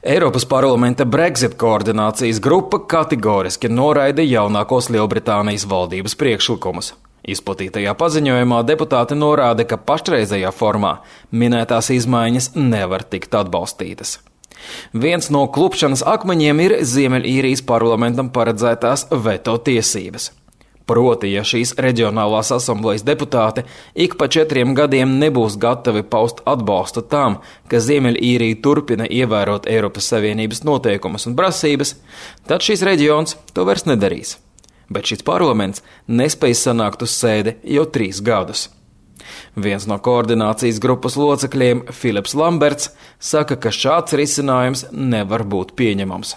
Eiropas parlamenta Brexit koordinācijas grupa kategoriski noraida jaunākos Lielbritānijas valdības priekšlikumus. Izplatītajā paziņojumā deputāti norāda, ka pašreizējā formā minētās izmaiņas nevar tikt atbalstītas. Viens no klupšanas akmeņiem ir Ziemeļīrijas parlamentam paredzētās veto tiesības. Proti, ja šīs reģionālās asamblejas deputāti ik pa 4 gadiem nebūs gatavi paust atbalstu tam, ka Ziemeļīrija turpina ievērot Eiropas Savienības noteikumus un prasības, tad šis reģions to vairs nedarīs. Bet šis parlaments nespēj sanākt uz sēdi jau 3 gadus. Viens no koordinācijas grupas locekļiem, Filips Lamberts, saka, ka šāds risinājums nevar būt pieņemams.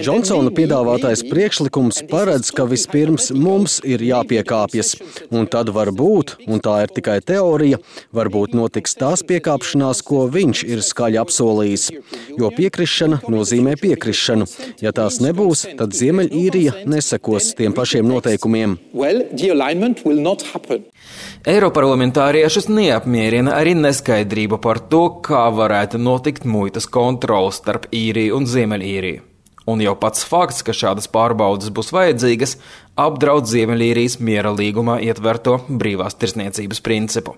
Džonsona piedāvātais priekšlikums paredz, ka vispirms mums ir jāpiekāpjas, un tad varbūt, un tā ir tikai teorija, varbūt notiks tās piekāpšanās, ko viņš ir skaļi apsolījis, jo piekrišana nozīmē piekrišanu. Ja tās nebūs, tad Ziemeļīrija nesekos tiem pašiem noteikumiem. Eiroparlamentāriešus neapmierina arī neskaidrība par to, kā varētu notikt muitas kontroles starp Īriju un Ziemeļīriju. Un jau pats fakts, ka šādas pārbaudes būs vajadzīgas, apdraud Ziemeļīrijas miera līgumā ietverto brīvās tirdzniecības principu.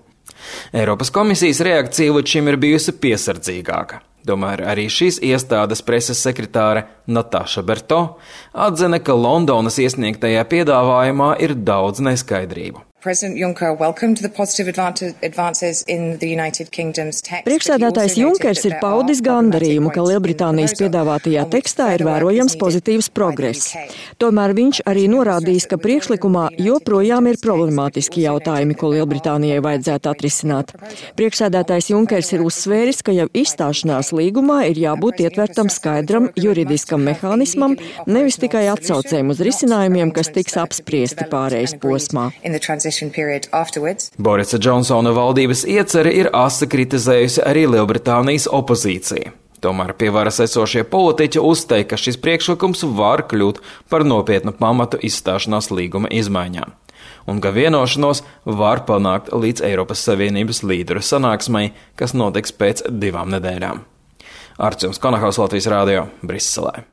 Eiropas komisijas reakcija līdz šim ir bijusi piesardzīgāka. Tomēr arī šīs iestādes preses sekretāre Natāša Berto atzina, ka Londonas iesniegtajā piedāvājumā ir daudz neskaidrību. Priekšsēdētājs Junkers ir paudis gandarījumu, ka Lielbritānijas piedāvātajā tekstā ir vērojams pozitīvs progress. Tomēr viņš arī norādījis, ka priekšlikumā joprojām ir problemātiski jautājumi, ko Lielbritānijai vajadzētu atrisināt. Priekšsēdētājs Junkers ir uzsvēris, ka jau izstāšanās līgumā ir jābūt ietvertam skaidram juridiskam mehānismam, nevis tikai atsaucēm uz risinājumiem, kas tiks apspriesti pārejas posmā. Borisa Džonsona valdības ieceri ir asi kritizējusi arī Lielbritānijas opozīcija. Tomēr pie varas esošie politiķi uzteica, ka šis priekšlikums var kļūt par nopietnu pamatu izstāšanās līguma izmaiņām, un ka vienošanos var panākt līdz Eiropas Savienības līderu sanāksmei, kas notiks pēc 2 nedēļām. Arčuns Konahaus, Latvijas Rādio, Briselē.